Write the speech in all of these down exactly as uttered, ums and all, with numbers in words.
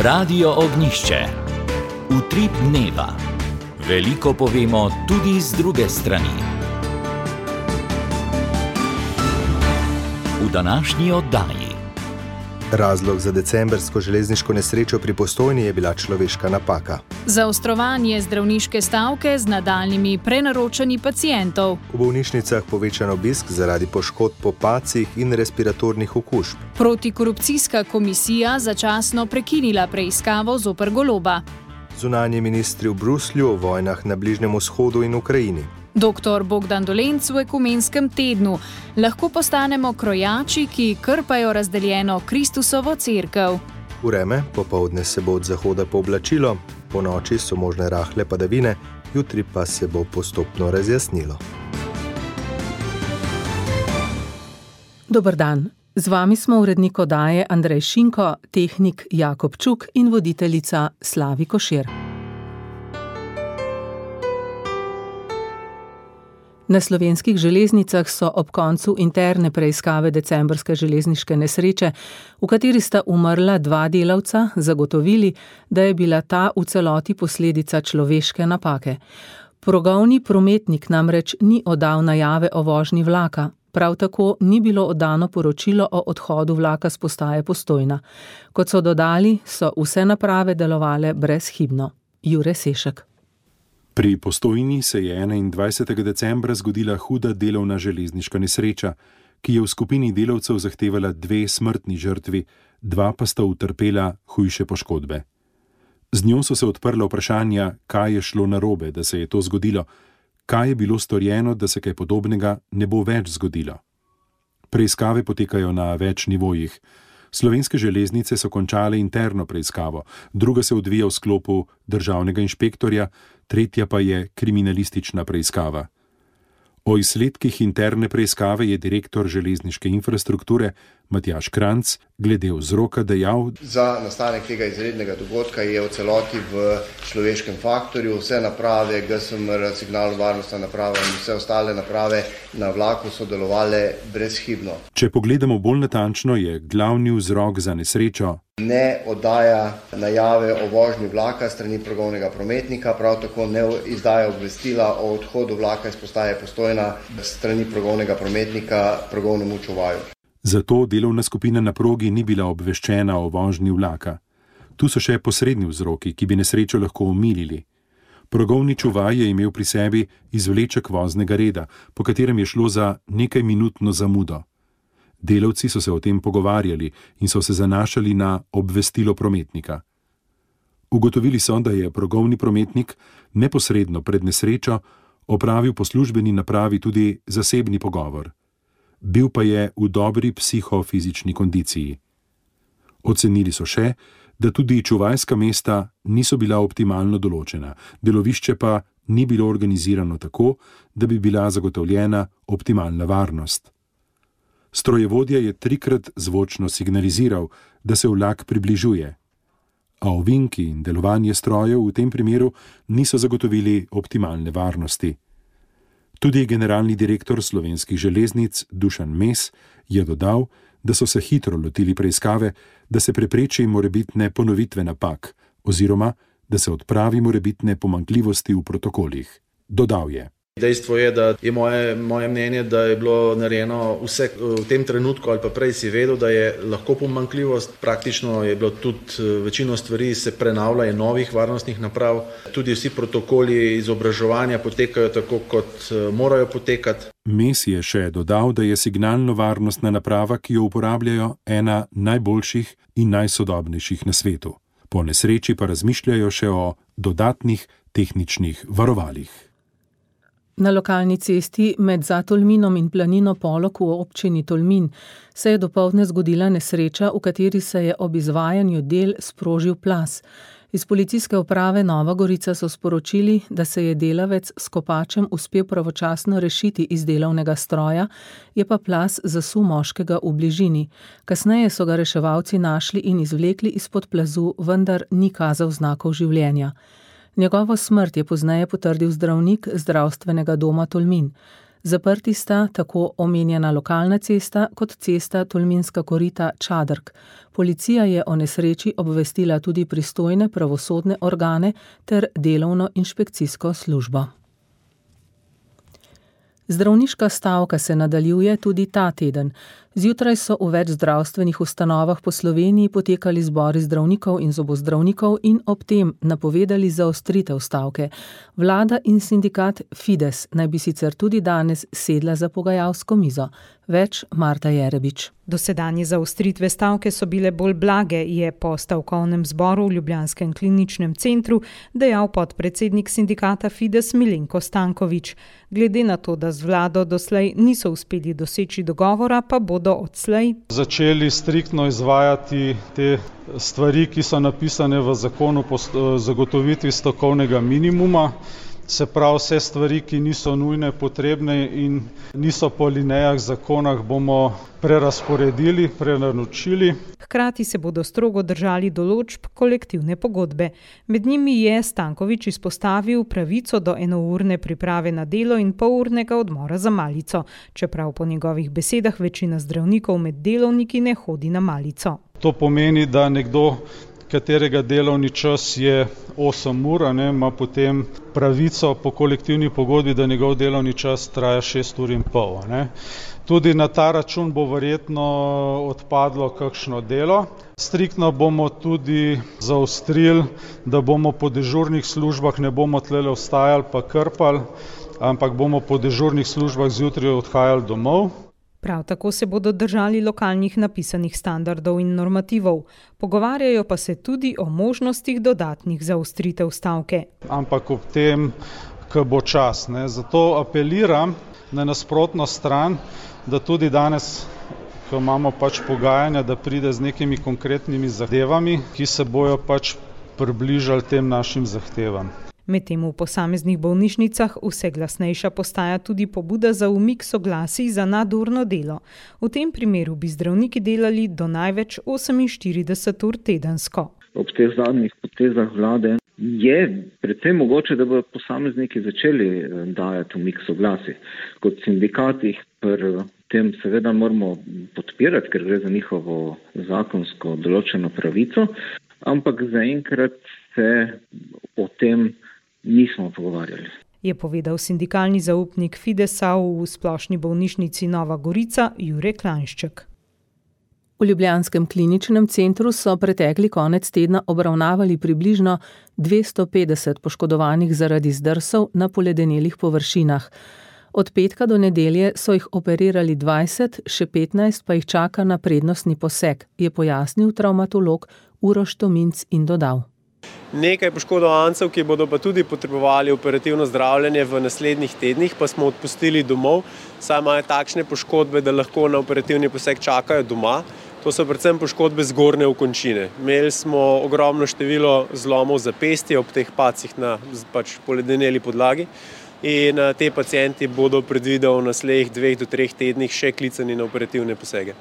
Radio Ognjišče. Utrip dneva. Veliko povemo tudi z druge strani. V današnji oddaji. Razlog za decembrsko železniško nesrečo pri Postojni je bila človeška napaka. Zaostrovanje zdravniške stavke z nadaljnjimi prenaročanji pacientov. V bolnišnicah povečan obisk zaradi poškodb po padcih in respiratornih okužb. Protikorupcijska komisija začasno prekinila preiskavo zoper Goloba. Zunanji ministri v Bruslju o vojnah na Bližnjem vzhodu in Ukrajini. Doktor Bogdan Dolenc v ekumenskem tednu. Lahko postanemo krojači, ki krpajo razdeljeno Kristusovo cerkev. Vreme, popoldne se bo od zahoda pooblačilo, po noči so možne rahle padavine, jutri pa se bo postopno razjasnilo. Dober dan. Z vami smo urednik oddaje Andrej Šinko, tehnik Jakob Čuk in voditeljica Slavi Košir. Na slovenskih železnicah so ob koncu interne preiskave decembrske železniške nesreče, v kateri sta umrla dva delavca, zagotovili, da je bila ta v celoti posledica človeške napake. Progovni prometnik namreč ni oddal najave o vožnji vlaka, prav tako ni bilo oddano poročilo o odhodu vlaka s postaje Postojna. Kot so dodali, so vse naprave delovale brezhibno. Jure Sešek. Pri Postojni se je enaindvajsetega decembra zgodila huda delovna železniška nesreča, ki je v skupini delavcev zahtevala dve smrtni žrtvi, dva pa sta utrpela hujše poškodbe. Z njo so se odprla vprašanja, kaj je šlo narobe, da se je to zgodilo, kaj je bilo storjeno, da se kaj podobnega ne bo več zgodilo. Preiskave potekajo na več nivojih. Slovenske železnice so končale interno preiskavo, druga se odvija v sklopu državnega inšpektorja, tretja pa je kriminalistična preiskava. O izsledkih interne preiskave je direktor železniške infrastrukture Matjaž Kranjc glede vzroka dejal: Za nastanek tega izrednega dogodka je v celoti v človeškem faktorju. Vse naprave, G S M R, signalno varnostna naprava in vse ostale naprave na vlaku so delovale brezhibno. Če pogledamo bolj natančno, je glavni vzrok za nesrečo ne oddaja najave o vožnji vlaka strani progovnega prometnika, prav tako ne izdaja obvestila o odhodu vlaka iz postaje Postojna strani progovnega prometnika progovnemu čuvaju. Zato delovna skupina na progi ni bila obveščena o vožnji vlaka. Tu so še posredni vzroki, ki bi nesrečo lahko omilili. Progovni čuvaj je imel pri sebi izvleček voznega reda, po katerem je šlo za nekaj minutno zamudo. Delavci so se o tem pogovarjali in so se zanašali na obvestilo prometnika. Ugotovili so, da je progovni prometnik neposredno pred nesrečo opravil po službeni napravi tudi zasebni pogovor. Bil pa je v dobri psihofizični kondiciji. Ocenili so še, da tudi čuvajska mesta niso bila optimalno določena, delovišče pa ni bilo organizirano tako, da bi bila zagotovljena optimalna varnost. Strojevodja je trikrat zvočno signaliziral, da se vlak približuje, a ovinki in delovanje strojev v tem primeru niso zagotovili optimalne varnosti. Tudi generalni direktor slovenskih železnic Dušan Mes je dodal, da so se hitro lotili preiskave, da se prepreči morebitne ponovitve napak oziroma da se odpravi morebitne pomanjkljivosti v protokolih. Dodal je: Dejstvo je, da je moje, moje mnenje, da je bilo narejeno vse v tem trenutku ali pa prej si vedel, da je lahko pomanjkljivost. Praktično je bilo tudi večino stvari se prenavlja in novih varnostnih naprav. Tudi vsi protokoli izobraževanja potekajo tako, kot morajo potekati. Mes je še dodal, da je signalno varnostna naprava, ki jo uporabljajo, ena najboljših in najsodobnejših na svetu. Po nesreči pa razmišljajo še o dodatnih tehničnih varovalih. Na lokalni cesti med Zatolminom in planino Polog v občini Tolmin se je dopoldne zgodila nesreča, v kateri se je ob izvajanju del sprožil plaz. Iz policijske uprave Nova Gorica so sporočili, da se je delavec s kopačem uspel pravočasno rešiti iz delovnega stroja, je pa plaz zasul moškega v bližini. Kasneje so ga reševalci našli in izvlekli izpod plazu, vendar ni kazal znakov življenja. Njegovo smrt je pozneje potrdil zdravnik zdravstvenega doma Tolmin. Zaprti sta tako omenjena lokalna cesta kot cesta Tolminska korita Čadrk. Policija je o nesreči obvestila tudi pristojne pravosodne organe ter delovno inšpekcijsko službo. Zdravniška stavka se nadaljuje tudi ta teden. Zjutraj so v več zdravstvenih ustanovah po Sloveniji potekali zbori zdravnikov in zobozdravnikov in ob tem napovedali zaostritev stavke. Vlada in sindikat Fides naj bi sicer tudi danes sedla za pogajalsko mizo. Več Marta Jerebič. Dosedanje zaostritve stavke so bile bolj blage, je po stavkovnem zboru v ljubljanskem kliničnem centru dejal podpredsednik sindikata Fides Milenko Stanković. Glede na to, da z vlado doslej niso uspeli doseči dogovora, pa bodo odslej začeli striktno izvajati te stvari, ki so napisane v zakonu po zagotovitvi stavkovnega minimuma. Se pravi, vse stvari, ki niso nujne, potrebne in niso po linijah zakonah, bomo prerasporedili, prenaročili. Hkrati se bodo strogo držali določb kolektivne pogodbe. Med njimi je Stanković izpostavil pravico do enourne priprave na delo in polurnega odmora za malico, čeprav po njegovih besedah večina zdravnikov med delovniki ne hodi na malico. To pomeni, da nekdo, katerega delovni čas je osem ur, ne, ima potem pravico po kolektivni pogodbi, da njegov delovni čas traja šest ur in pol. Ne. Tudi na ta račun bo verjetno odpadlo kakšno delo. Striktno bomo tudi zaostrili, da bomo po dežurnih službah ne bomo tlele ostajali pa krpali, ampak bomo po dežurnih službah zjutraj odhajali domov. Prav tako se bodo držali lokalnih napisanih standardov in normativov. Pogovarjajo pa se tudi o možnostih dodatnih zaostritev stavke. Ampak ob tem, ko bo čas. Ne. Zato apeliram na nasprotno stran, da tudi danes, ko imamo pač pogajanja, da pride z nekimi konkretnimi zahtevami, ki se bojo pač približali tem našim zahtevam. Medtem v posameznih bolnišnicah vse glasnejša postaja tudi pobuda za umik soglasij za nadurno delo. V tem primeru bi zdravniki delali do največ oseminštirideset ur tedensko. Ob teh zadnjih potezah vlade je predvsem mogoče, da bodo posamezniki začeli dajati umik soglasij. Kot sindikatih pri tem seveda moramo podpirati, ker gre za njihovo zakonsko določeno pravico, ampak zaenkrat se o tem nismo pogovarjali. Je povedal sindikalni zaupnik Fidesa v splošni bolnišnici Nova Gorica Jure Klanšček. V ljubljanskem kliničnem centru so pretekli konec tedna obravnavali približno dvesto petdeset poškodovanih zaradi zdrsov na poledenelih površinah. Od petka do nedelje so jih operirali dvajset, še petnajst pa jih čaka na prednostni poseg, je pojasnil travmatolog Uroš Tominc in dodal. Nekaj poškodovancev, ki bodo pa tudi potrebovali operativno zdravljenje v naslednjih tednih, pa smo odpustili domov, saj imajo takšne poškodbe, da lahko na operativni poseg čakajo doma. To so predvsem poškodbe zgornje okončine. Imeli smo ogromno število zlomov zapestja ob teh pacih na pač poledeneli podlagi in te pacienti bodo predvideno v naslednjih dveh do treh tednih še klicani na operativne posege.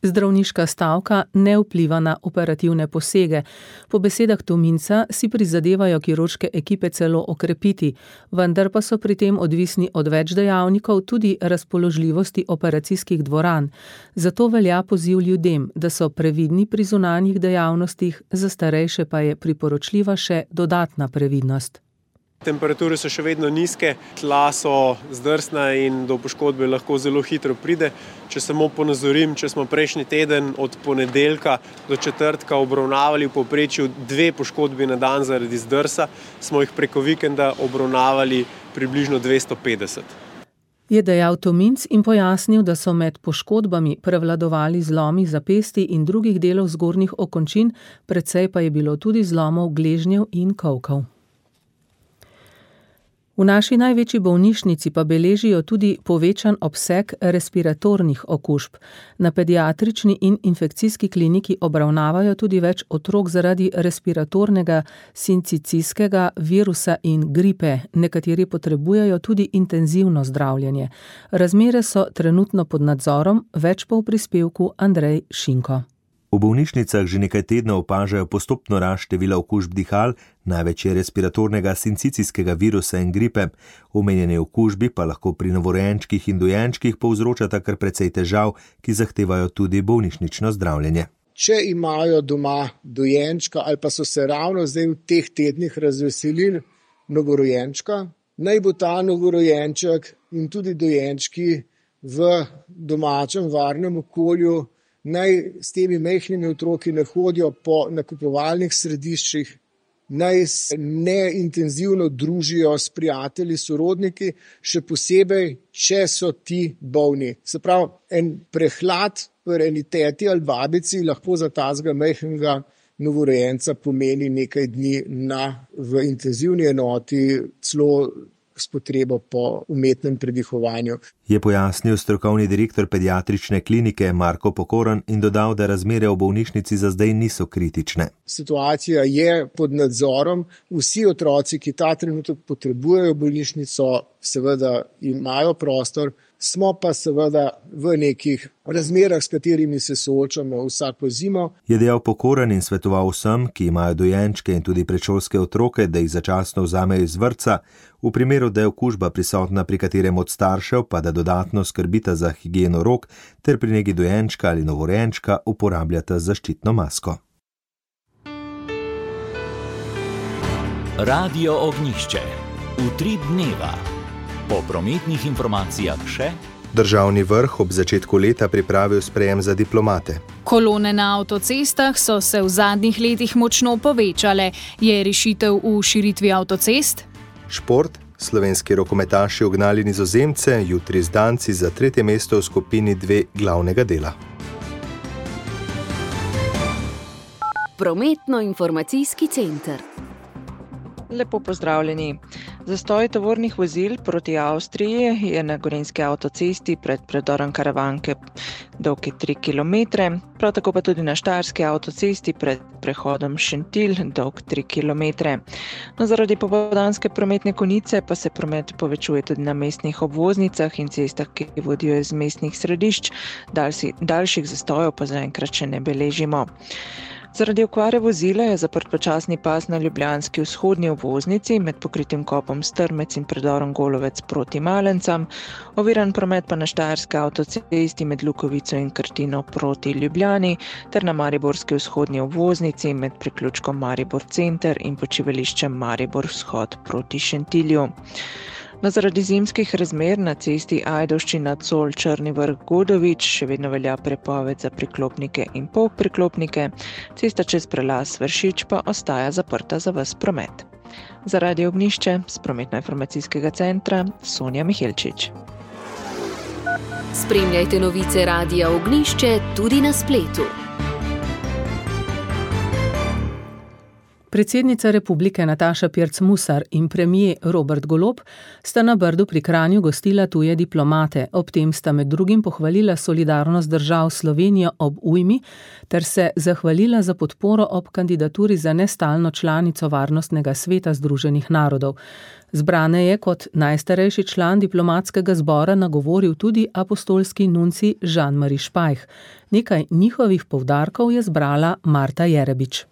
Zdravniška stavka ne vpliva na operativne posege. Po besedah Tominca si prizadevajo kirurške ekipe celo okrepiti, vendar pa so pri tem odvisni od več dejavnikov, tudi razpoložljivosti operacijskih dvoran. Zato velja poziv ljudem, da so previdni pri zunanjih dejavnostih, za starejše pa je priporočljiva še dodatna previdnost. Temperature so še vedno nizke, tla so zdrsna in do poškodbe lahko zelo hitro pride. Če samo ponazorim, če smo prejšnji teden od ponedeljka do četrtka obravnavali v povprečju dve poškodbi na dan zaradi zdrsa, smo jih preko vikenda obravnavali približno dvesto petdeset. Je dejal Tominc in pojasnil, da so med poškodbami prevladovali zlomi zapestij in drugih delov zgornjih okončin, precej pa je bilo tudi zlomov gležnjev in kolkov. V naši največji bolnišnici pa beležijo tudi povečan obseg respiratornih okužb. Na pediatrični in infekcijski kliniki obravnavajo tudi več otrok zaradi respiratornega sincicijskega virusa in gripe. Nekateri potrebujejo tudi intenzivno zdravljenje. Razmere so trenutno pod nadzorom, več pa v prispevku Andrej Šinko. V bolnišnicah že nekaj tednov opažajo postopno rast števila okužb dihal, največ je respiratornega sincicijskega virusa in gripe. Omenjene okužbi pa lahko pri novorojenčkih in dojenčkih povzročata kar precej težav, ki zahtevajo tudi bolnišnično zdravljenje. Če imajo doma dojenčka ali pa so se ravno zdaj v teh tednih razveselili novorojenčka, naj bo ta novorojenček in tudi dojenčki v domačem varnem okolju, naj s temi majhnimi otroki ne hodijo po nakupovalnih središčih, naj se ne intenzivno družijo s prijatelji, sorodniki, še posebej, če so ti bolni. Se pravi, en prehlad pri eni teti ali babici lahko za tazga majhnega novorojenca pomeni nekaj dni na, v intenzivni enoti, celo s potrebo po umetnem predihovanju. Je pojasnil strokovni direktor pediatrične klinike Marko Pokoran in dodal, da razmere v bolnišnici za zdaj niso kritične. Situacija je pod nadzorom. Vsi otroci, ki ta trenutek potrebujejo bolnišnico, seveda imajo prostor, smo pa seveda v nekih razmerah, s katerimi se soočamo vsako zimo. Je dejal Pokoran in svetoval vsem, ki imajo dojenčke in tudi predšolske otroke, da jih začasno vzamejo iz vrtca, v primeru, da je okužba prisotna pri katerem od staršev, pa da dodatno skrbita za higieno rok ter pri negi dojenčka ali novorojenčka uporabljata zaščitno masko. Radio Ognjišče. Utrip dneva. Po prometnih informacijah še. Državni vrh ob začetku leta pripravil sprejem za diplomate. Kolone na avtocestah so se v zadnjih letih močno povečale. Je rešitev v širitvi avtocest? Šport. Slovenski rokometaši ugnali Nizozemce, jutri z Danci za tretje mesto v skupini dve glavnega dela. Prometno-informacijski center. Lepo pozdravljeni. Zastoj tovornih vozil proti Avstriji je na gorenjski avtocesti pred predorom Karavanke dolgi tri kilometre, prav tako pa tudi na štajerski avtocesti pred prehodom Šentilj dolg tri kilometre. No, zaradi popoldanske prometne konice pa se promet povečuje tudi na mestnih obvoznicah in cestah, ki vodijo iz mestnih središč, daljši, daljših zastojev pa zaenkrat še ne beležimo. Zaradi okvare vozila je zaprt počasni pas na ljubljanski vzhodni obvoznici med pokritim kopom Strmec in predorom Golovec proti Malencam, oviran promet pa na štajerski avtocesti med Lukovico in Krtino proti Ljubljani ter na mariborski vzhodni obvoznici med priključkom Maribor center in počivališčem Maribor vzhod proti Šentilju. No, zaradi zimskih razmer na cesti Ajdovščina Col Črni vrh Godovič še vedno velja prepoved za priklopnike in polpriklopnike, cesta čez prelaz Vršič pa ostaja zaprta za ves promet. Za Radio Ognjišče s prometno-informacijskega centra Sonja Mihelčič. Spremljajte novice Radia Ognjišče tudi na spletu. Predsednica republike Nataša Pirc Musar in premier Robert Golob sta na Brdu pri Kranju gostila tuje diplomate, ob tem sta med drugim pohvalila solidarnost držav Slovenijo ob ujmi ter se zahvalila za podporo ob kandidaturi za nestalno članico Varnostnega sveta Združenih narodov. Zbrane je kot najstarejši član diplomatskega zbora nagovoril tudi apostolski nunci Jean-Marie Špajh. Nekaj njihovih poudarkov je zbrala Marta Jerebič.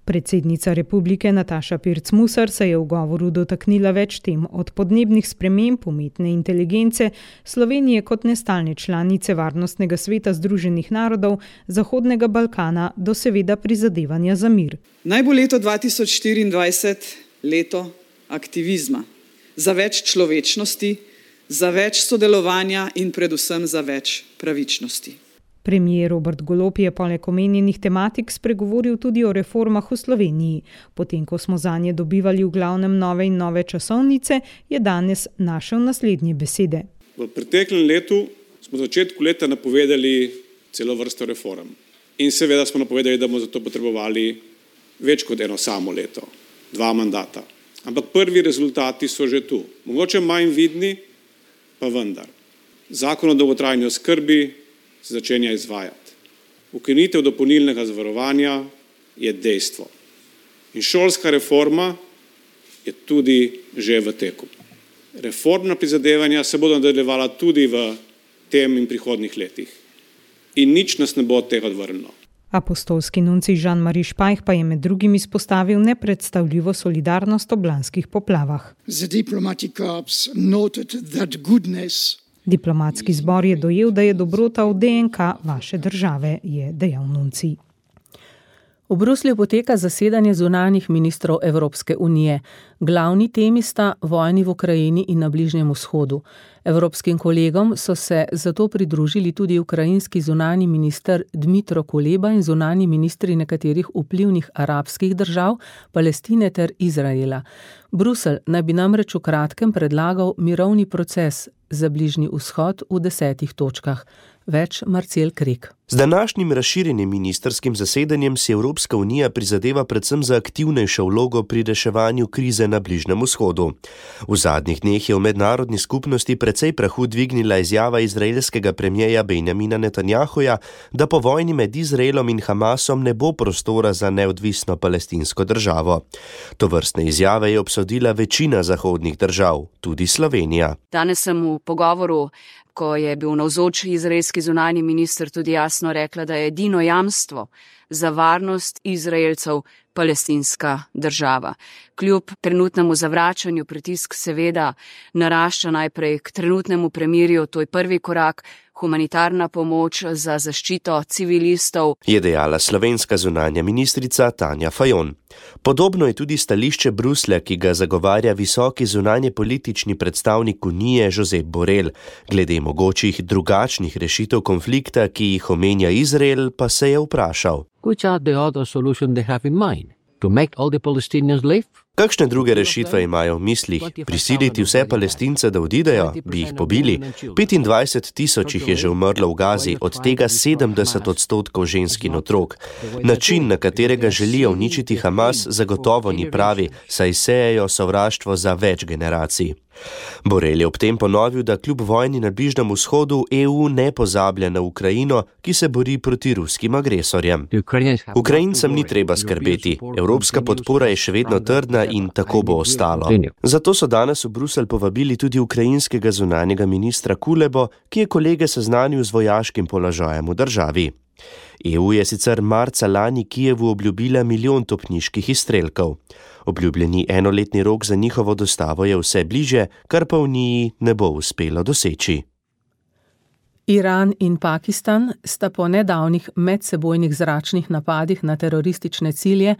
Predsednica republike Nataša Pirc Musar se je v govoru dotaknila več tem, od podnebnih sprememb, umetne inteligence, Slovenije kot nestalne članice Varnostnega sveta Združenih narodov, Zahodnega Balkana do seveda prizadevanja za mir. Naj bo leto dva tisoč štiriindvajset leto aktivizma, za več človečnosti, za več sodelovanja in predvsem za več pravičnosti. Premier Robert Golob je poleg omenjenih tematik spregovoril tudi o reformah v Sloveniji. Potem, ko smo zanje dobivali v glavnem nove in nove časovnice, je danes našel naslednje besede. V preteklem letu smo v začetku leta napovedali celo vrsto reform. In seveda smo napovedali, da bomo za to potrebovali več kot eno samo leto, dva mandata. Ampak prvi rezultati so že tu. Mogoče manj vidni, pa vendar. Zakon o dolgotrajni oskrbi se začenja izvajati. Ukinitev dopolnilnega zavarovanja je dejstvo. In šolska reforma je tudi že v teku. Reformna prizadevanja se bodo nadaljevala tudi v tem in prihodnjih letih. in nič nas ne bo od tega odvrnilo. Apostolski nuncij Jean-Marie Špajh pa je med drugim izpostavil nepredstavljivo solidarnost ob lanskih poplavah. Diplomatski zbor je dojel, da je dobrota v D N K vaše države, je dejal nuncij. V Bruslju poteka zasedanje zunanjih ministrov Evropske unije. Glavni temi sta vojni v Ukrajini in na Bližnjem vzhodu. Evropskim kolegom so se zato pridružili tudi ukrajinski zunanji minister Dmitro Kuleba in zunanji ministri nekaterih vplivnih arabskih držav, Palestine ter Izraela. Bruselj naj bi namreč v kratkem predlagal mirovni proces za Bližnji vzhod v desetih točkah. Več Marcel Krek. Z današnjim razširjenim ministrskim zasedanjem si Evropska unija prizadeva predvsem za aktivnejšo vlogo pri reševanju krize na Bližnjem vzhodu. V zadnjih dneh je v mednarodni skupnosti precej prahu dvignila izjava izraelskega premijeja Benjamina Netanjahuja, da po vojni med Izraelom in Hamasom ne bo prostora za neodvisno palestinsko državo. Tovrstne izjave je obsodila večina zahodnih držav, tudi Slovenija. Danes sem v pogovoru, ko je bil navzoč izraelski zunanji minister, tudi jasno rekla, da je edino jamstvo za varnost Izraelcev palestinska država. Kljub trenutnemu zavračanju pritisk seveda narašča najprej k trenutnemu premirju, to je prvi korak, humanitarna pomoč za zaščito civilistov, je dejala slovenska zunanja ministrica Tanja Fajon. Podobno je tudi stališče Bruslja, ki ga zagovarja visoki zunanje politični predstavnik Unije Josep Borrell. Glede mogočih drugačnih rešitev konflikta, ki jih omenja Izrael, pa se je vprašal. Which are the other solutions they have in mind? To make all the Palestinians live? Kakšne druge rešitve imajo v mislih? Prisiliti vse Palestince, da odidejo? Bi jih pobili? petindvajset tisoč jih je že umrlo v Gazi, od tega sedemdeset odstotkov žensk in otrok. Način, na katerega želijo uničiti Hamas, zagotovo ni pravi, saj sejejo sovraštvo za več generacij. Borrell je ob tem ponovil, da kljub vojni na Bližnjem vzhodu E U ne pozablja na Ukrajino, ki se bori proti ruskim agresorjem. Ukrajincem ni treba skrbeti, evropska podpora je še vedno trdna in tako bo ostalo. Zato so danes v Bruselj povabili tudi ukrajinskega zunanjega ministra Kulebo, ki je kolege seznanil z vojaškim položajem v državi. E U je sicer marca lani Kijevu obljubila milijon topniških izstrelkov. Obljubljeni enoletni rok za njihovo dostavo je vse bliže, kar pa Uniji ne bo uspelo doseči. Iran in Pakistan sta po nedavnih medsebojnih zračnih napadih na teroristične cilje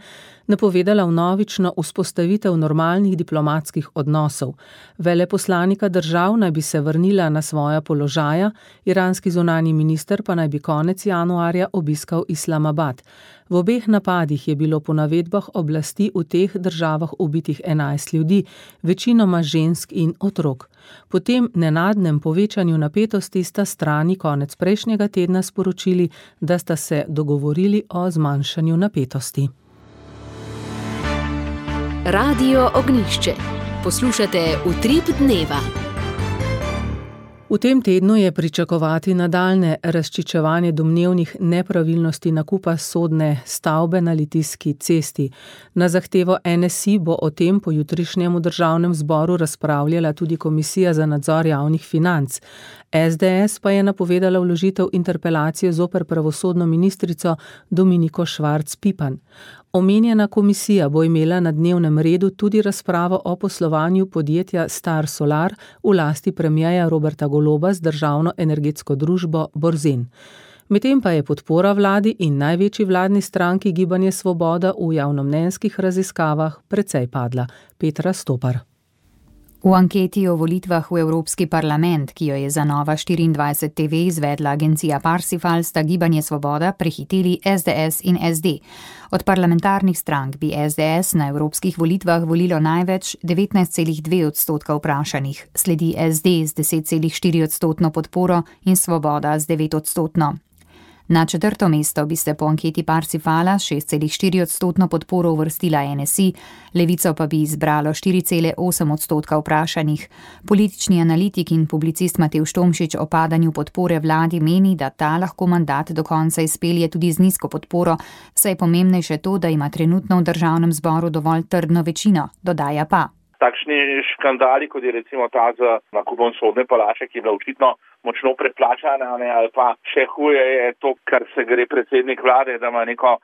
napovedala vnovično vzpostavitev normalnih diplomatskih odnosov. Veleposlanika držav naj bi se vrnila na svoja položaja, iranski zunanji minister pa naj bi konec januarja obiskal Islamabad. V obeh napadih je bilo po navedbah oblasti v teh državah ubitih enajst ljudi, večinoma žensk in otrok. Po tem nenadnem povečanju napetosti sta strani konec prejšnjega tedna sporočili, da sta se dogovorili o zmanjšanju napetosti. Radio Ognjišče. Poslušate Utrip dneva. V tem tednu je pričakovati nadaljnje razčiščevanje domnevnih nepravilnosti nakupa sodne stavbe na Litijski cesti. Na zahtevo N S I bo o tem po jutrišnjem v državnem zboru razpravljala tudi Komisija za nadzor javnih financ. S D S pa je napovedala vložitev interpelacije zoper pravosodno ministrico Dominiko Švarc Pipan. Omenjena komisija bo imela na dnevnem redu tudi razpravo o poslovanju podjetja Star Solar v lasti premierja Roberta Goloba z državno energetsko družbo Borzen. Medtem pa je podpora vladi in največji vladni stranki Gibanje Svoboda v javnomnenjskih raziskavah precej padla. Petra Stopar. V anketi o volitvah v Evropski parlament, ki jo je za Nova štiriindvajset T V izvedla agencija Parsifal, sta Gibanje Svoboda prehiteli S D S in S D. Od parlamentarnih strank bi S D S na evropskih volitvah volilo največ devetnajst celih dve odstotka vprašanih, sledi S D z deset celih štiri odstotno podporo in Svoboda z devet odstotno. Na četrto mesto bi se po anketi Parsifala šest celih štiri odstotno podporo uvrstila N S I, Levico pa bi izbralo štiri celih osem odstotka vprašanih. Politični analitik in publicist Matevž Tomšič o padanju podpore vladi meni, da ta lahko mandat do konca izpelje tudi z nizko podporo, saj je pomembnejše to, da ima trenutno v državnem zboru dovolj trdno večino, dodaja pa. takšni škandali, kot je recimo ta z nakupom sodne palače, ki je bila očitno močno preplačana, ne, ali pa še huje je to, kar se gre predsednik vlade, da ima neko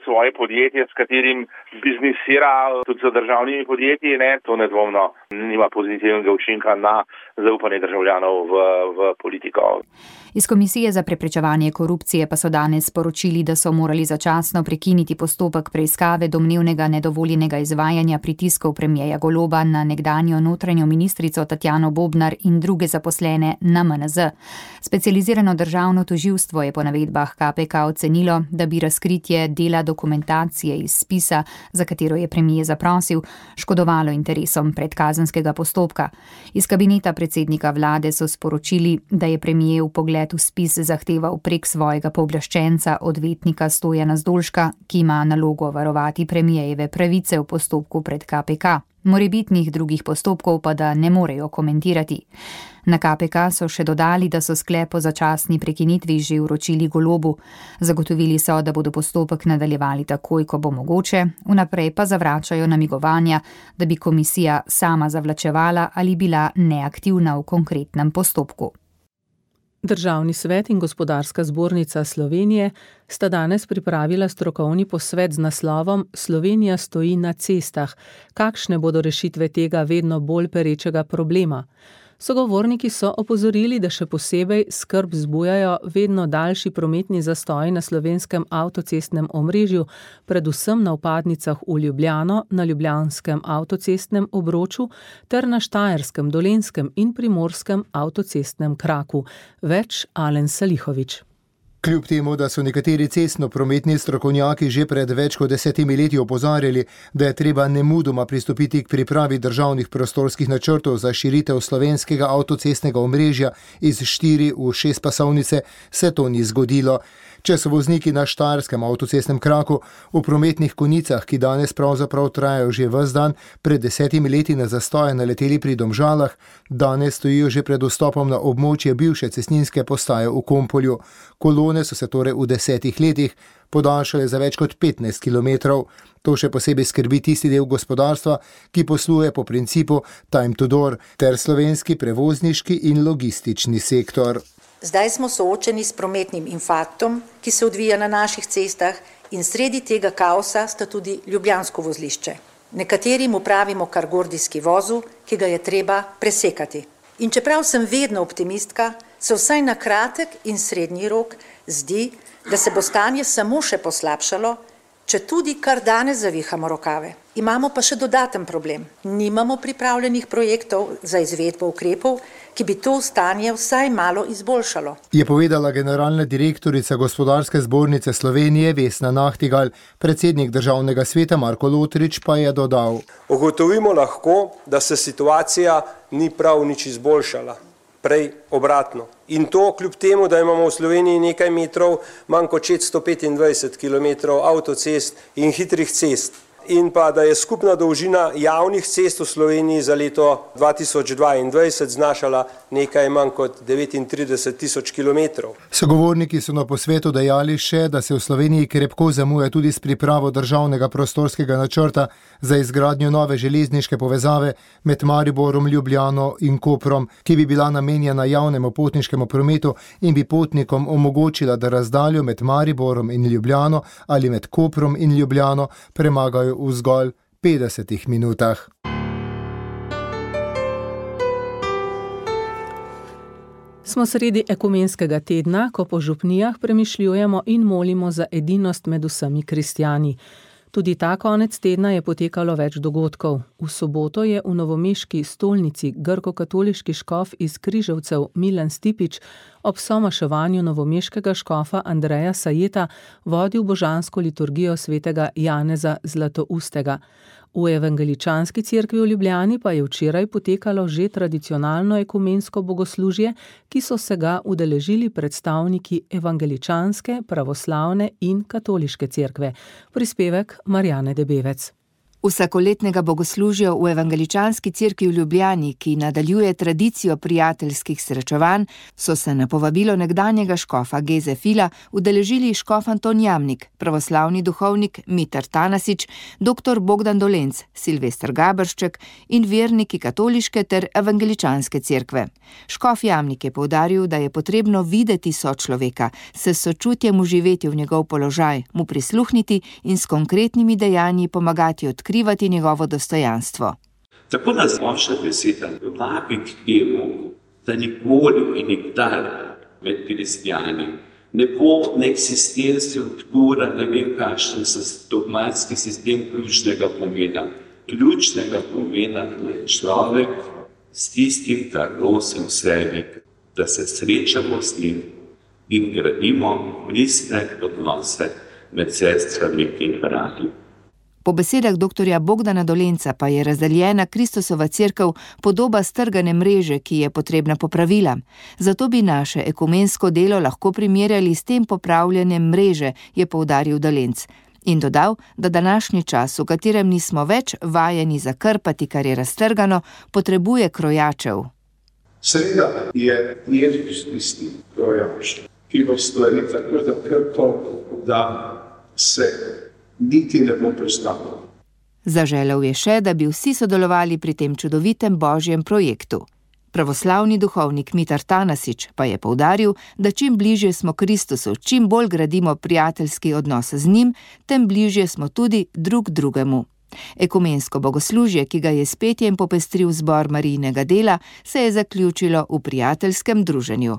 svoje podjetje, s katerim biznisira tudi za državnimi podjetji, ne, to nedvomno nima pozitivnega učinka na zaupanje državljanov v, v politiko. Iz Komisije za preprečevanje korupcije pa so danes sporočili, da so morali začasno prekiniti postopek preiskave domnevnega nedovoljenega izvajanja pritiskov premierja Goloba na nekdanjo notranjo ministrico Tatjano Bobnar in druge zaposlene na M N Z. Specializirano državno tožilstvo je po navedbah K P K ocenilo, da bi razkritje dela dokumentacije iz spisa, za katero je premijer zaprosil, škodovalo interesom predkazenskega postopka. Iz kabineta predsednika vlade so sporočili, da je premijer v pogled v spis zahteval prek svojega pooblaščenca odvetnika Stojana Zdolška, ki ima nalogo varovati premijejeve pravice v postopku pred K P K. Morebitnih drugih postopkov pa da ne morejo komentirati. Na K P K so še dodali, da so sklep o začasni prekinitvi že vročili Golobu. Zagotovili so, da bodo postopek nadaljevali takoj, ko bo mogoče, vnaprej pa zavračajo namigovanja, da bi komisija sama zavlačevala ali bila neaktivna v konkretnem postopku. Državni svet in Gospodarska zbornica Slovenije sta danes pripravila strokovni posvet z naslovom Slovenija stoji na cestah. Kakšne bodo rešitve tega vedno bolj perečega problema? Sogovorniki so opozorili, da še posebej skrb vzbujajo vedno daljši prometni zastoji na slovenskem avtocestnem omrežju, predvsem na vpadnicah v Ljubljano, na ljubljanskem avtocestnem obroču ter na štajerskem, dolenjskem in primorskem avtocestnem kraku. Več Alen Salihovič. Kljub temu, da so nekateri cestno-prometni strokovnjaki že pred več kot desetimi leti opozarjali, da je treba nemudoma pristopiti k pripravi državnih prostorskih načrtov za širitev slovenskega avtocestnega omrežja iz štiri v šest pasovnice, se to ni zgodilo. Če so vozniki na štajerskem avtocestnem kraku v prometnih konicah, ki danes pravzaprav trajajo že ves dan, pred desetimi leti na zastoje naleteli pri Domžalah, danes stojijo že pred vstopom na območje bivše cestninske postaje v Kompolju. Kolone so se torej v desetih letih podaljšale za več kot petnajst kilometrov. To še posebej skrbi tisti del gospodarstva, ki posluje po principu time to door, ter slovenski prevozniški in logistični sektor. Zdaj smo soočeni s prometnim infarktom, ki se odvija na naših cestah, in sredi tega kaosa sta tudi ljubljansko vozlišče. Nekateri mu pravimo kar gordijski vozu, ki ga je treba presekati. In čeprav sem vedno optimistka, se vsaj na kratek in srednji rok zdi, da se bo stanje samo še poslabšalo, če tudi kar danes zavihamo rokave. Imamo pa še dodaten problem. Nimamo pripravljenih projektov za izvedbo ukrepov, ki bi to stanje vsaj malo izboljšalo. Je povedala generalna direktorica Gospodarske zbornice Slovenije Vesna Nahtigal, predsednik državnega sveta Marko Lotrič pa je dodal. Ugotovimo lahko, da se situacija ni prav nič izboljšala. Prej obratno. In to kljub temu, da imamo v Sloveniji nekaj metrov, manj kot šeststo petindvajset kilometrov avtocest in hitrih cest. In pa, da je skupna dolžina javnih cest v Sloveniji za leto dva tisoč dvaindvajset znašala nekaj manj kot devetintrideset tisoč kilometrov. Sogovorniki so na posvetu dejali še, da se v Sloveniji krepko zamuja tudi s pripravo državnega prostorskega načrta za izgradnjo nove železniške povezave med Mariborom, Ljubljano in Koprom, ki bi bila namenjena javnemu potniškemu prometu in bi potnikom omogočila, da razdaljo med Mariborom in Ljubljano ali med Koprom in Ljubljano premagajo v zgolj petdesetih minutah. Smo sredi ekumenskega tedna, ko po župnijah premišljujemo in molimo za edinost med vsemi kristjani. Tudi ta konec tedna je potekalo več dogodkov. V soboto je v novomeški stolnici grko-katoliški škof iz Križevcev Milan Stipič ob somaševanju novomeškega škofa Andreja Sajeta vodil božansko liturgijo svetega Janeza Zlatoustega. V evangeličanski cerkvi v Ljubljani pa je včeraj potekalo že tradicionalno ekumensko bogoslužje, ki so se ga udeležili predstavniki evangeličanske, pravoslavne in katoliške cerkve. Prispevek Marjane Debevec. Vsakoletnega bogoslužja v Evangeličanski cerkvi v Ljubljani, ki nadaljuje tradicijo prijateljskih srečevanj, so se na povabilo nekdanjega škofa Geze Fila udeležili škof Anton Jamnik, pravoslavni duhovnik Mitar Tanasič, doktor Bogdan Dolenc, Silvester Gabršček in verniki katoliške ter evangeličanske cerkve. Škof Jamnik je poudaril, da je potrebno videti sočloveka, se s sočutjem uživeti v njegov položaj, mu prisluhniti in s konkretnimi dejanji pomagati odkriti odkrivati njegovo dostojanstvo. Tako nas močna beseda vabi k temu, da nikoli in nikdar med kristjani ne bo ne eksistencija, ne vem kakšen dogmatski sistem ključnega pomena. Ključnega pomena je človek s tistim, kar nosi v sebi, da se srečamo s njim in gradimo pristne odnose med sestrami in brati. Po besedah doktorja Bogdana Dolenca pa je razdeljena Kristusova cerkev podoba strgane mreže, ki je potrebna popravila. Zato bi naše ekumensko delo lahko primerjali s tem popravljanjem mreže, je poudaril Dolenc. In dodal, da današnji čas, v katerem nismo več vajeni zakrpati, kar je raztrgano, potrebuje krojačev. Seveda je Jezus tisti krojač, ki bo stvari tako zakrpal, da se niti ne bo prestalo. Zaželel je še, da bi vsi sodelovali pri tem čudovitem božjem projektu. Pravoslavni duhovnik Mitar Tanasič pa je poudaril, da čim bližje smo Kristusu, čim bolj gradimo prijateljski odnos z njim, tem bližje smo tudi drug drugemu. Ekumensko bogoslužje, ki ga je s petjem popestril zbor Marijinega dela, se je zaključilo v prijateljskem druženju.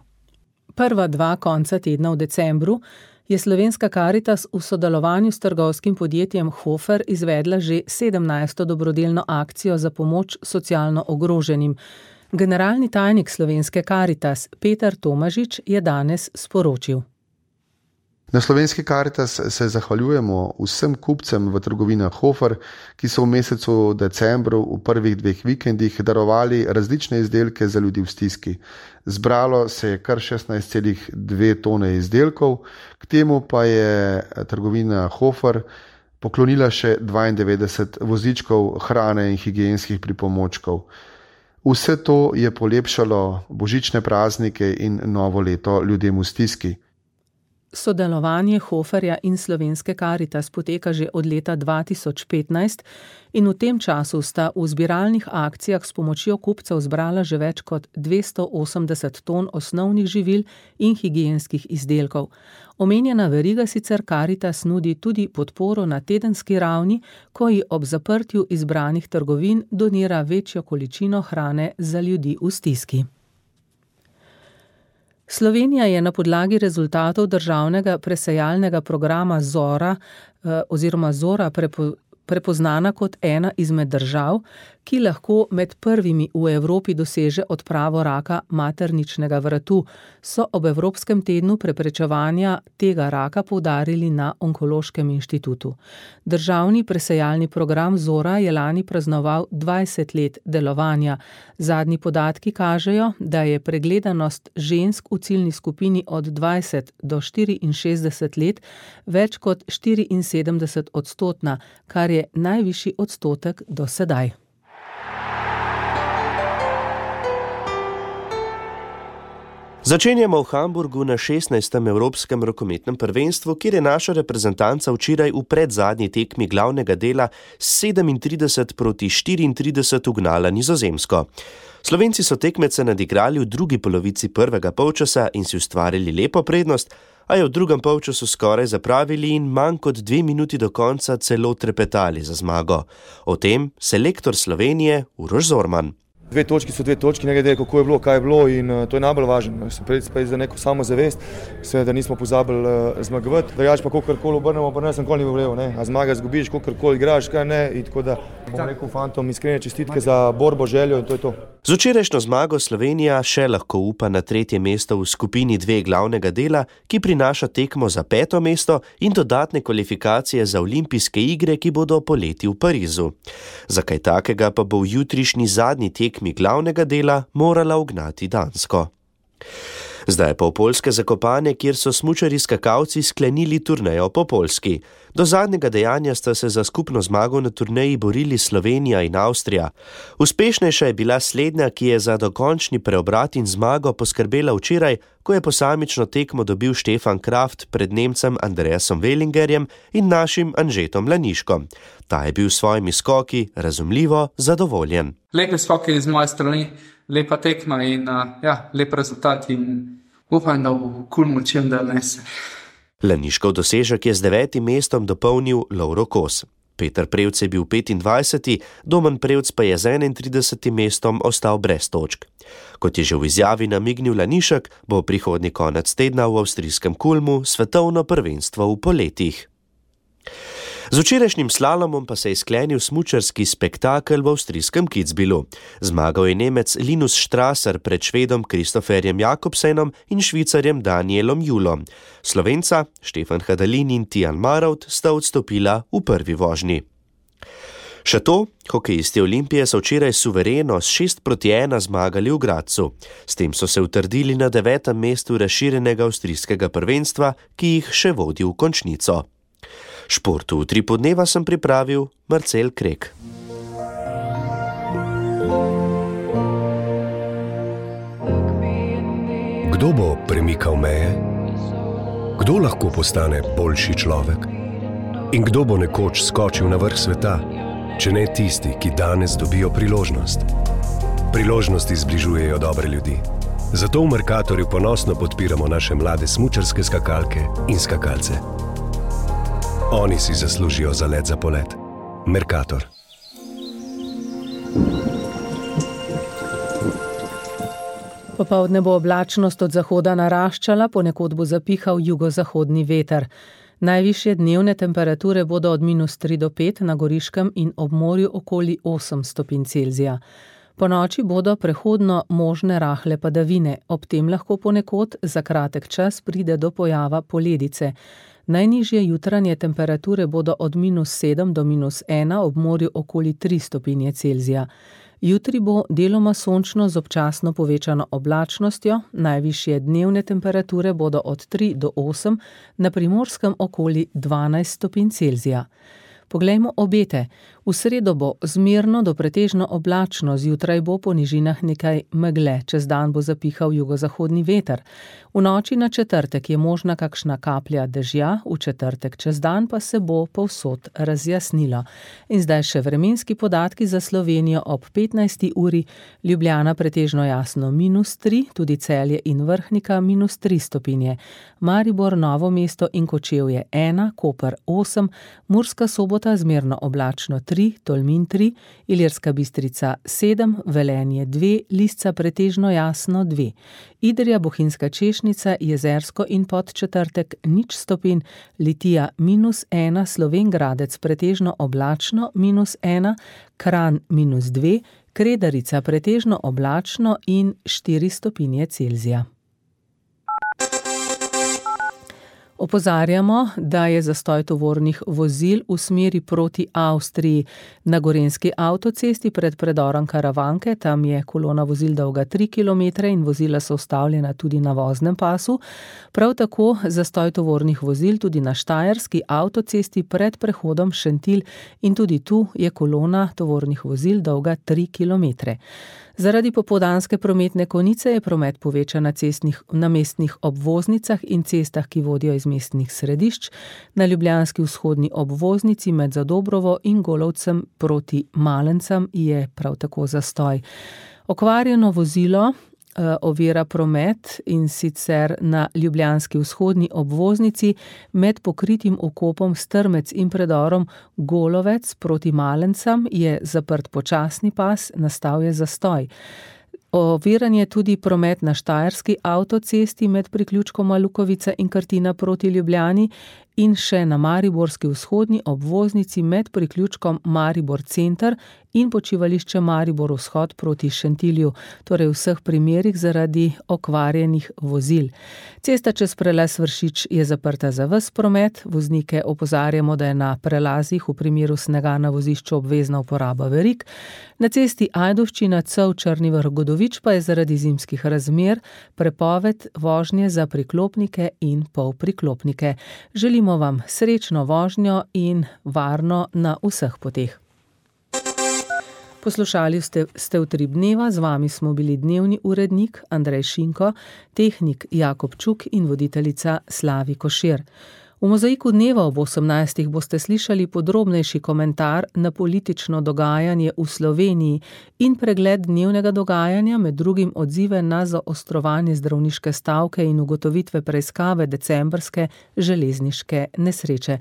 Prva dva konca tedna v decembru je Slovenska Karitas v sodelovanju s trgovskim podjetjem Hofer izvedla že sedemnajsto dobrodelno akcijo za pomoč socialno ogroženim. Generalni tajnik Slovenske Karitas Peter Tomažič je danes sporočil. Na Slovenski Karitas se zahvaljujemo vsem kupcem v trgovinah Hofer, ki so v mesecu decembru v prvih dveh vikendih darovali različne izdelke za ljudi v stiski. Zbralo se je kar šestnajst celih dve tone izdelkov, k temu pa je trgovina Hofer poklonila še dvaindevetdeset vozičkov hrane in higienskih pripomočkov. Vse to je polepšalo božične praznike in novo leto ljudem v stiski. Sodelovanje Hoferja in Slovenske Karitas poteka že od leta dva tisoč petnajst in v tem času sta v zbiralnih akcijah s pomočjo kupcev zbrala že več kot dvesto osemdeset ton osnovnih živil in higienskih izdelkov. Omenjena veriga sicer Karitas nudi tudi podporo na tedenski ravni, ko ji ob zaprtju izbranih trgovin donira večjo količino hrane za ljudi v stiski. Slovenija je na podlagi rezultatov državnega presejalnega programa Zora eh, oziroma Zora prepo, prepoznana kot ena izmed držav, ki lahko med prvimi v Evropi doseže odpravo raka materničnega vratu, so ob Evropskem tednu preprečevanja tega raka poudarili na Onkološkem inštitutu. Državni presejalni program Zora je lani praznoval dvajset let delovanja. Zadnji podatki kažejo, da je pregledanost žensk v ciljni skupini od dvajset do štiriinšestdeset let več kot štiriinsedemdeset odstotna, kar je najvišji odstotek do sedaj. Začenjamo v Hamburgu na šestnajstem Evropskem rokometnem prvenstvu, kjer je naša reprezentanca včeraj v predzadnji tekmi glavnega dela sedemintrideset proti štiriintrideset ugnala Nizozemsko. Slovenci so tekmece nadigrali v drugi polovici prvega polčasa in si ustvarili lepo prednost, a je v drugem polčasu skoraj zapravili in manj kot dve minuti do konca celo trepetali za zmago. O tem selektor Slovenije Uroš Zorman. Dve točki so dve točki, ne glede kako je bilo, kaj je bilo in uh, to je najbolj važno. Se predvsem za neko samozavest, da nismo pozabili uh, zmagovati. Drugače pa kakorkoli obrnemo, pa ne sem nikoli ni bilo, ne. A zmaga zgubiš, kakorkoli igraš, kaj ne. In tako da bom rekel fantom iskrene čestitke za borbo, željo in to je to. Z včerajšnjo zmago Slovenija še lahko upa na tretje mesto v skupini dve glavnega dela, ki prinaša tekmo za peto mesto in dodatne kvalifikacije za olimpijske igre, ki bodo poleti v Parizu. Za kaj takega pa bo v jutrišnji zadnji tekmi glavnega dela morala ugnati Dansko. Zdaj pa v poljske Zakopane, kjer so smučarji skakalci sklenili turnejo po Poljski. Do zadnjega dejanja sta se za skupno zmago na turneji borili Slovenija in Avstrija. Uspešnejša je bila slednja, ki je za dokončni preobrat in zmago poskrbela včeraj, ko je posamično tekmo dobil Štefan Kraft pred Nemcem Andreasom Wellingerjem in našim Anžetom Laniškom. Ta je bil s svojimi skoki razumljivo zadovoljen. Lepe skoke iz moje strani, lepa tekma in uh, ja, lep rezultat in upam, da bo Kulmu čim da nese. Laniškov dosežek je z devetim mestom dopolnil Lovro Kos. Peter Prevc je bil petindvajseti, Domen Prevc pa je z enaintridesetim mestom ostal brez točk. Kot je že v izjavi namignil Lanišek, bo prihodnji konec tedna v avstrijskem Kulmu svetovno prvenstvo v poletih. Z včerajšnjim slalomom pa se je sklenil smučarski spektakel v avstrijskem Kitzbühelu. Zmagal je Nemec Linus Strasser pred Švedom Kristoferjem Jakobsenom in Švicarjem Danielom Julom. Slovenca Štefan Hadalin in Tijan Marovt sta odstopila v prvi vožnji. Še to, hokejisti Olimpije so včeraj suvereno s šest proti ena zmagali v Gradcu. S tem so se utrdili na devetem mestu razširjenega avstrijskega prvenstva, ki jih še vodi v končnico. Športu v tri podneva sem pripravil Marcel Krek. Kdo bo premikal meje? Kdo lahko postane boljši človek? In kdo bo nekoč skočil na vrh sveta, če ne tisti, ki danes dobijo priložnost? Priložnosti zbližujejo dobre ljudi. Zato v Mercatorju ponosno podpiramo naše mlade smučarske skakalke in skakalce. Oni si zaslužijo za let za polet. Mercator. Popoldne bo oblačnost od zahoda naraščala, ponekod bo zapihal jugozahodni veter. Najvišje dnevne temperature bodo od minus tri do pet na Goriškem in ob morju okoli osem stopinj Celzija. Po noči bodo prehodno možne rahle padavine, ob tem lahko ponekod za kratek čas pride do pojava poledice. Najnižje jutranje temperature bodo od minus sedem do minus ena, ob morju okoli tri stopinje Celzija. Jutri bo deloma sončno z občasno povečano oblačnostjo, najvišje dnevne temperature bodo od tri do osem, na Primorskem okoli dvanajst stopinj Celzija. Poglejmo obete. V sredo bo zmerno do pretežno oblačno, zjutraj bo po nižinah nekaj megle, čez dan bo zapihal jugozahodni veter. V noči na četrtek je možna kakšna kaplja dežja, v četrtek čez dan pa se bo povsod razjasnilo. In zdaj še vremenski podatki za Slovenijo ob petnajsti uri, Ljubljana pretežno jasno minus tri, tudi Celje in Vrhnika minus tri stopinje, Maribor, Novo mesto in Kočevje ena, Koper osem, Murska Sobota zmerno oblačno tri, Tolmin tri, Ilirska Bistrica sedem, Velenje dve, Lisca pretežno jasno dve, Idrija, Bohinjska Češnica, Jezersko in Podčetrtek nič stopinj, Litija minus ena, Slovenj Gradec pretežno oblačno minus ena, Kranj minus dve, Kredarica pretežno oblačno in štiri stopinje Celzija. Opozarjamo, da je zastoj tovornih vozil v smeri proti Avstriji. Na gorenjski avtocesti pred predorom Karavanke, tam je kolona vozil dolga tri kilometre in vozila so ustavljena tudi na voznem pasu. Prav tako zastoj tovornih vozil tudi na štajerski avtocesti pred prehodom Šentilj in tudi tu je kolona tovornih vozil dolga tri kilometre. Zaradi popoldanske prometne konice je promet povečan na, cestnih, na mestnih obvoznicah in cestah, ki vodijo iz mestnih središč, na ljubljanski vzhodni obvoznici med Zadobrovo in Golovcem proti Malencem je prav tako zastoj. Okvarjeno vozilo ovira promet in sicer na ljubljanski vzhodni obvoznici med pokritim okopom Strmec in predorom Golovec proti Malencem je zaprt počasni pas, nastal je zastoj. Oviran je tudi promet na štajerski avtocesti med priključkoma Lukovica in Krtina proti Ljubljani in še na mariborski vzhodni obvoznici med priključkom Maribor Center in počivališče Maribor Vzhod proti Šentilju, torej v vseh primerih zaradi okvarjenih vozil. Cesta čez prelaz Vršič je zaprta za ves promet, voznike opozarjamo, da je na prelazih v primeru snega na vozišču obvezna uporaba verig. Na cesti Ajdovščina Cev Črni Vrh Godovič pa je zaradi zimskih razmer prepoved vožnje za priklopnike in polpriklopnike. Želimo vam srečno vožnjo in varno na vseh poteh. Poslušali ste, ste Utrip dneva, z vami smo bili dnevni urednik Andrej Šinko, tehnik Jakob Čuk in voditeljica Slavi Košir. V Mozaiku dneva ob osemnajstih boste slišali podrobnejši komentar na politično dogajanje v Sloveniji in pregled dnevnega dogajanja, med drugim odzive na zaostrovanje zdravniške stavke in ugotovitve preiskave decembrske železniške nesreče.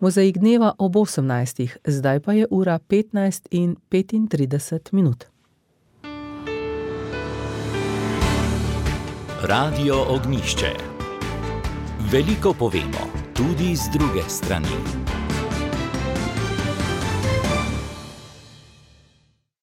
Mozaik dneva ob osemnajstih, zdaj pa je ura petnajst in petintrideset minut. Radio Ognjišče. Veliko povemo, tudi z druge strani.